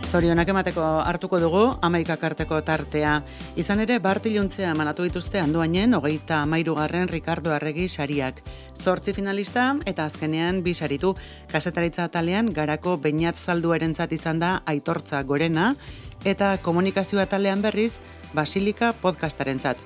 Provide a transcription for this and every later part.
Zorionak emateko hartuko dugu, 11 arteko tartea. Izan ere, bart iluntzea emanatu dituzte Andoainen 33. Ricardo Arregi sariak. 8 finalista eta azkenean 2 saritu. Kazetaritza atalean Garako Beñat Zalduarentzat izan da Aitortza Gorena eta komunikazio atalean berriz Basilika podcastarentzat.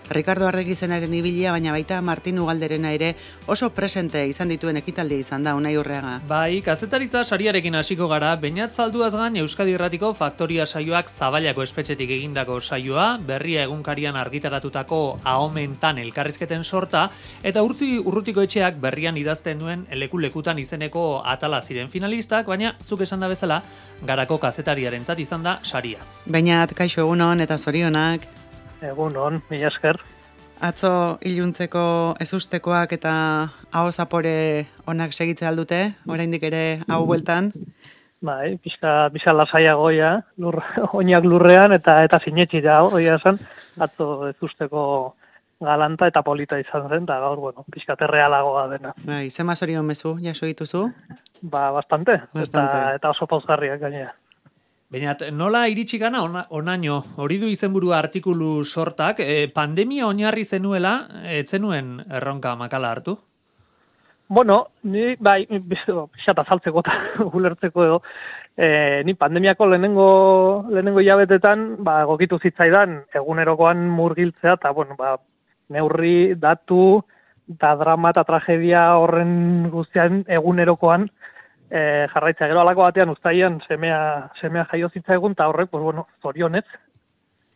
Ricardo Arregi zenaren ibilia, baina baita Martin Ugalderena ere oso presente izan dituen ekitaldia izan da, Unai Urreaga. Bai, kazetaritza sariarekin hasiko gara, Beñat Zalduaz gain Euskadi Irratiko Faktoria saioak Zabalako espetxetik egindako saioa, Berria egunkarian argitaratutako Ahomentan elkarrizketen sorta, eta Urrutiko etxeak berrian idazten duen Leku-lekutan izeneko atala ziren finalistak, baina zuk esan da bezala, Garako kazetariarentzat izan da saria. Beñat, kaixo egunon eta zorionak. Egunon, mila esker. Atzo iluntzeko ezustekoak eta aho zapore onak segitze aldute, oraindik ere hau bueltan. Bai, pixka lasaiagoia, oinak lurrean eta sinetxi da, oia esan, atzo ezusteko galanta eta polita izan zen, eta gaur, pixka terrealagoa dena. Bai, zema zorion mezu, jaso dituzu? Ba, bastante. Eta oso pauzgarriak gainera. Beñat, nola iritsi gana onaino, hori du izenburua artikulu sortak, pandemia oinarri zenuela, ez zenuen erronka makala hartu? Bueno, ni bai, pixat azaltzeko eta ulertzeko edo, ni pandemiako lehenengo hilabetetan, egokitu zitzaidan egunerokoan murgiltzea, eta neurri, datu, eta drama eta tragedia horren guztian egunerokoan, jarraitza gero alako batean uztaian semea jaio zitzaigun, eta horrek, zorionez,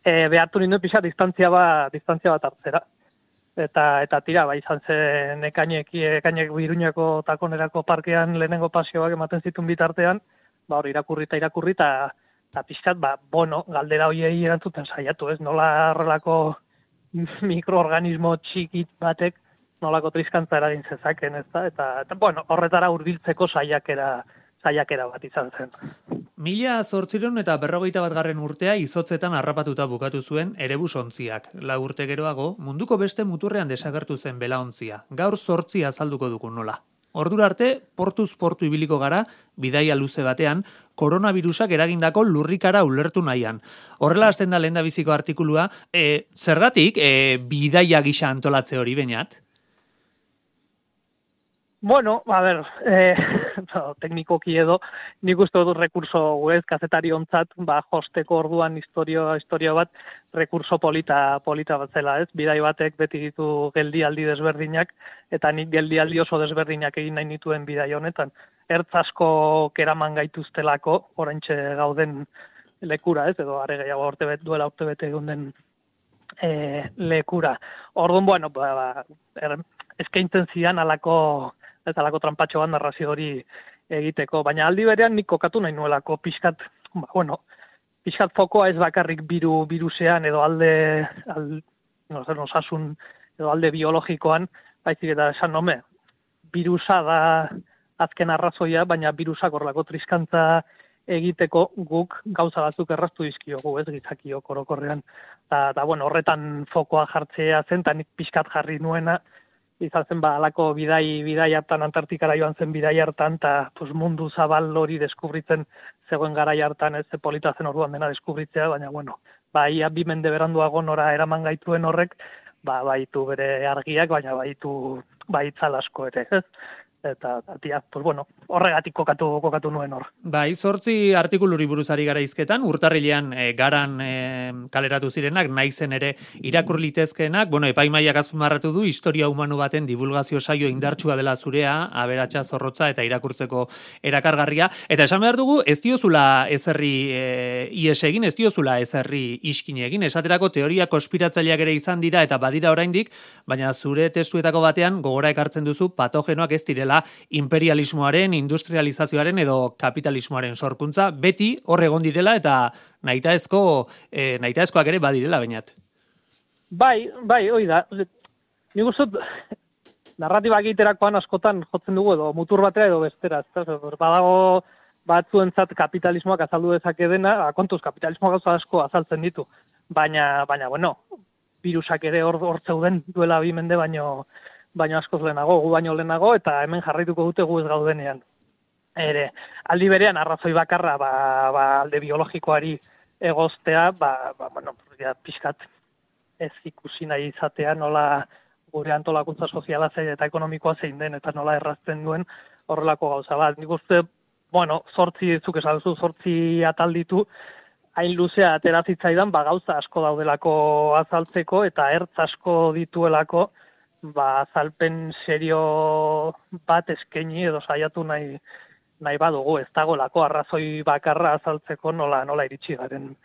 behartu ninduen pixat distantzia bat hartzera. Eta tira, izan zen ekainek Iruñako takonerako parkean lehenengo pasioak ematen zituen bitartean, irakurri eta pixat, galdera hoiei erantzuten saiatu, ez? Nola horrelako mikroorganismo txikit batek nolako triskantza eragin zezaken, ez da? Eta horretara hurbiltzeko saiakera bat izan zen. 1851. urtea izotzetan harrapatuta bukatu zuen Erebus ontziak. 4 urte geroago, munduko beste muturrean desagertu zen belaontzia. Gaur 8 azalduko dugu nola. Ordura arte, portuz portu ibiliko gara, bidaia luze batean, koronavirusak eragindako lurrikara ulertu nahian. Horrela hasten da lehendabiziko artikulua, zergatik bidaia gisa antolatze hori, Beñat? Bueno, teknikoki edo, nik uste dut rekurso kazetari ontzat, josteko orduan historia bat, rekurso polita bat zela, ez? Bidai batek beti ditu geldialdi desberdinak, eta nik geldialdi oso desberdinak egin nahi nituen bidai honetan. Ertz asko keraman gaituztelako, oraintxe gauden lekura, ez? Edo are gehiago duela urte bete egun den lekura. Orduan, eskaintzen zidan alako tranpatxo bat narrazio hori egiteko, baina aldi berean nik kokatu nahi nuelako pixkat fokoa ez bakarrik virusean edo osasun edo alde biologikoan, baizik eta esan virusa da azken arrazoia, baina virusak horrelako triskantza egiteko guk gauza batzuk erraztu dizkiogu, ez gizakiok orokorrean. Eta horretan fokoa jartzea zen, eta nik pixkat jarri nuena, izan zen alako bidai hartan, Antartikara joan zen bidai hartan, eta mundu zabal hori deskubritzen zegoen garai hartan, ez polita zen orduan dena deskubritzea, baina ia 2 mende beranduago nora eraman gaituen horrek, baitu bere argiak, baina baitu itzal asko ere, ez? Eta, horregatik kokatu nuen hor. Bai, 8 artikuluri buruzari gara izketan, urtarrilean garan kaleratu zirenak, naizen ere irakur litezkeenak, epaimaiak azpimarratu du, historia humano baten divulgazio saio indartsua dela zurea, aberatsa zorrotza eta irakurtzeko erakargarria, eta esan behar dugu, ez diozula ezerri ies egin, ez diozula ezerri iskin egin, esaterako teoria konspiratzaileak ere izan dira eta badira oraindik, baina zure testuetako batean gogora ekartzen duzu patogenoak ez direla imperialismoaren, industrializazioaren edo kapitalismoaren sorkuntza, beti hor egon direla eta nahitaezkoak ere badirela, Beñat. Bai, hoi da. Nik uste narratiba egiterakoan askotan jotzen dugu edo mutur batera edo bestera. Badago batzuentzat kapitalismoak azaldu dezake dena, kontuz kapitalismoak gauza asko azaltzen ditu. Baina, virusak ere hor zeuden duela 2 mende baino askoz lehenago, gu baino lehenago, eta hemen jarraituko dute gu ez gaudenean. ere, aldi berean arrazoi bakarra alde biologikoari egoztea, bueno, ja, pixkat ez ikusi nahi izatea nola gure antolakuntza soziala zein eta ekonomikoa zein den, eta nola errazten duen horrelako gauza bat. Nik uste, bueno, zuk esan duzu, 8 atal ditu, hain luzea atera zitzaidan, gauza asko daudelako azaltzeko, eta ertz asko dituelako, azalpen serio bat eskaini edo saiatu nahi badugu, ez dagolako arrazoi bakarra azaltzeko nola iritsi garen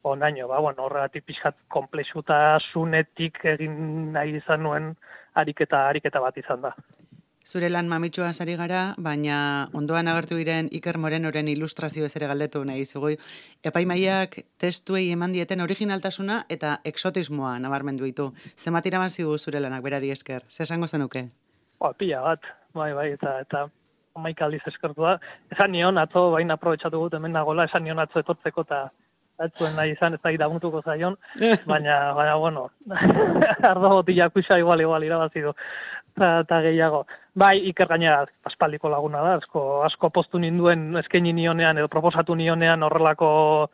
onaino. Bueno, horregatik pixkat konplexutasunetik egin nahi izan nuen ariketa bat izan da. Zure lan mamitxua sari gara, baina ondoan agertu diren Iker Morenoren ilustrazio ere galdetu nahi zugu. Epaimaiak testuei eman dieten originaltasuna eta exotismoa nabarmendu ditu. Zenbat irabazi du zure lanak berari esker? Ze esango zenuke? Pila bat, bai, eta amaika aldiz eskertu da. Esan nion atzo, baina aprobetxatu gut hemen nagola, esan nion atzo etortzeko eta atzuen nahi izan, ez da iraguntuko zaion, baina bueno, ardo botila kuxa igual irabazi du. Eta gehiago. Bai, Iker gainera aspaldiko laguna da, asko postu ninduen eskaini nionean edo proposatu nionean horrelako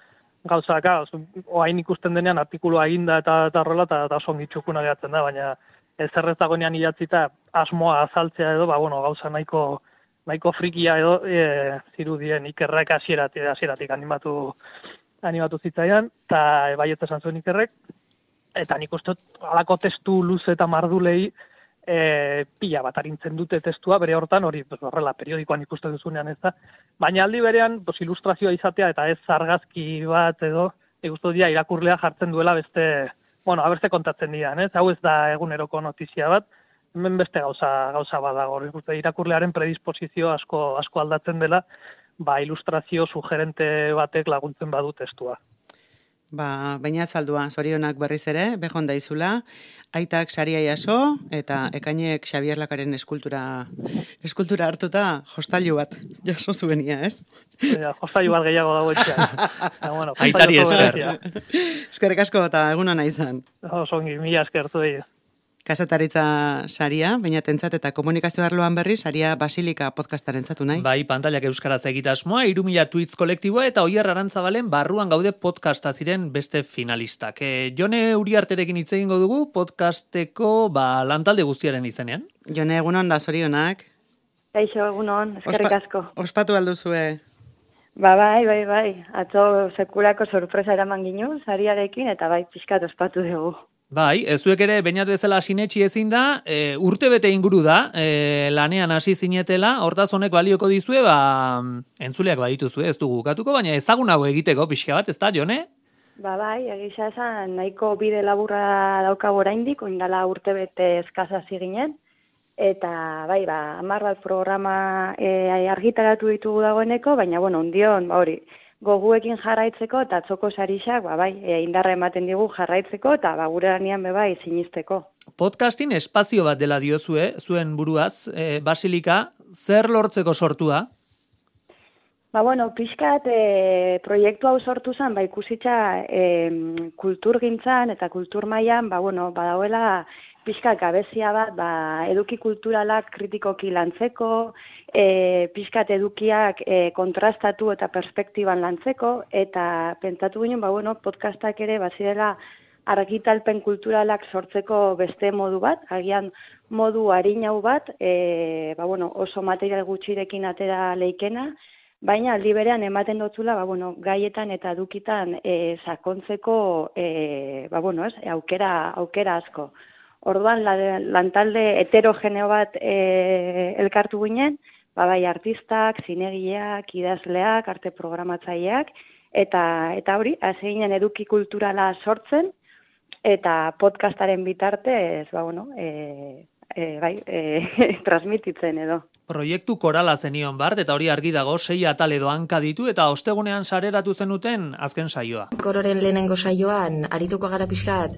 gauzaka, oain ikusten denean artikulua eginda eta horrela, eta songi txukuna gehatzen da, baina ez dagoenean idatzita asmoa azaltzea edo, bueno, gauza nahiko frikia edo zirudien Ikerrek hasieratik animatu zitzaidan, eta baiet esan zuen Ikerrek, eta nik uste halako testu luze eta mardulei pila bat arintzen dute testua, bere hortan hori horrela periodikoan ikusten duzunean ez da, baina aldi berean ilustrazioa izatea eta ez argazki bat edo ikustu dira irakurlea jartzen duela beste kontatzen dian, ez? Hau ez da eguneroko notizia bat, hemen beste gauza bat dago, irakurlearen predisposizio asko aldatzen dela, ilustrazio sugerente batek laguntzen badu testua. Baina zaldua, zorionak berriz ere, bejon daizula, aitak saria jaso, eta ekainek Xabier Lakaren eskultura hartuta, jostailu bat jaso zuenia, ez? Jostailu bat gehiago dago etxean. Bueno, aitari esker. Eskerrik asko eta eguna nahi izan. Zongi, mila eskertu dira. Kazetaritza saria, baina tentzat eta komunikazio arloan berri, saria Basilika podcastaren zatu nahi. Bai, pantailak euskaraz egitasmoa, 3.000 tweets kolektiboa eta Oier Arantzabalen barruan gaude podcasta ziren beste finalistak. Jone Uriarterekin hitz egingo dugu podcasteko lantalde guztiaren izenean. Jone, egunon da, zorionak. Kaixo, egunon, eskerrik asko. Ospatu alduzue. Bai. Atzo sekulako sorpresa eraman ginu, sariarekin, eta bai, pixkat ospatu dugu. Bai, zuek ere bainatu ezela sinetxi ezin da, urtebete inguru da, lanean hasi zinetela, hortaz honek balioko dizue, entzuleak badituzue, ez dugu ukatuko, baina ezagunago egiteko pixka bat, ez da, Jone? Bai, egisa esan, nahiko bide laburra daukago oraindik, oindala urtebete eskasa ziginen, eta bai, 10 bat programa argitaratu ditugu dagoeneko, baina, bueno, ondion, hori, goguekin jarraitzeko eta atzoko sarixak, indarra ematen digu jarraitzeko eta gure lanean bai sinisteko. Podcastin espazio bat dela diozue, zuen buruaz, Basilika, zer lortzeko sortua? Pixkat proiektu hau sortu zen, ikusitza kulturgintzan eta kultur mailan, badauela pixka gabezia bat, eduki kulturalak kritikoki lantzeko, pixkat edukiak kontrastatu eta perspektiban lantzeko, eta pentsatu ginen, podcastak ere bazirela argitalpen kulturalak sortzeko beste modu bat, agian modu arinau bat, oso material gutxirekin atera leikena, baina aldi berean ematen dotzula, gaietan eta edukitan sakontzeko aukera asko. Orduan, lantalde heterogeneo bat elkartu ginen, bai artistak, zinegileak, idazleak, arte programatzaileak, eta hori, hasi ginen eduki kulturala sortzen, eta podcastaren bitartez, transmititzen edo. Proiektu korala zenion bart, eta hori argi dago, 6 atal edo hanka ditu, eta ostegunean sareratu zenuten azken saioa. Kororen lehenengo saioan, arituko gara pixkat,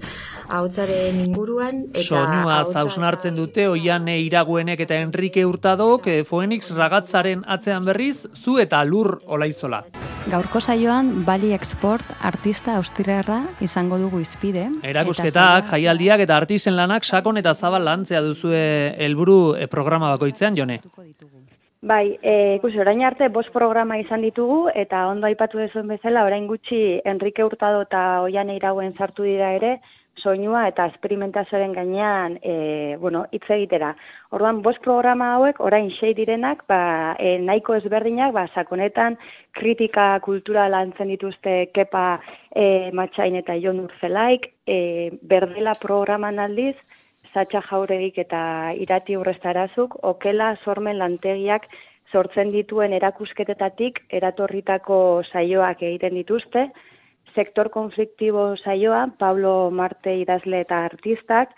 ahotsaren inguruan. Soinua hausnartzen dute, Oiane Iraguenek eta Enrique Hurtadok, Phoenix ragatzaren atzean berriz, zu eta Lur Olaizola. Gaurko saioan, Bali Export artista austriarra izango dugu izpide. Erakusketak, jaialdiak eta artisen lanak sakon eta zabal lantzea duzue helburu programa bakoitzean, Jone. Bai, ikusi, orain arte 5 programa izan ditugu, eta ondo aipatu duzuen bezala, orain gutxi Enrique Hurtado eta Oiane Irauen sartu dira ere, soinua eta esperimentazioaren gainean, hitz egitera. Orduan, 5 programa hauek, orain 6 direnak, nahiko ezberdinak, sakonetan kritika kultura lantzen dituzte Kepa Matxain eta Jon Urzelaik, Berdela programan aldiz, Satxa Jauregik eta Irati Urrestarazuk, okela sormen lantegiak sortzen dituen erakusketetatik eratorritako saioak egiten dituzte, sektor konfliktibo saioa, Pablo Marte idazle eta artistak,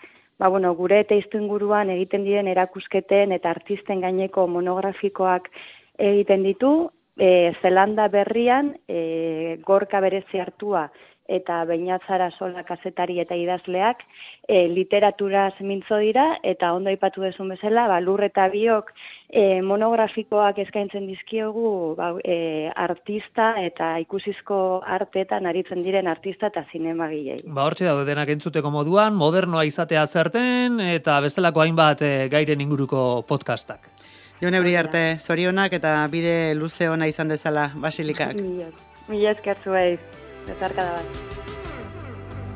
gure testuinguruan egiten diren erakusketen eta artisten gaineko monografikoak egiten ditu, Zelanda berrian, Gorka berezi hartua, eta Beñatzara Sola kazetari eta idazleak literaturaz mintzo dira, eta ondo aipatu duzun bezala, Lur eta Biok monografikoak eskaintzen dizkiogu artista eta ikusizko arteetan aritzen diren artista eta zinemagilei. Hortxe daude denak entzuteko moduan, modernoa izatea zerten, eta bestelako hainbat gairen inguruko podcastak. Jon Euriarte, zorionak eta bide luze ona izan dezala Basilikak. Mila esker zuei. Bezarkada bat.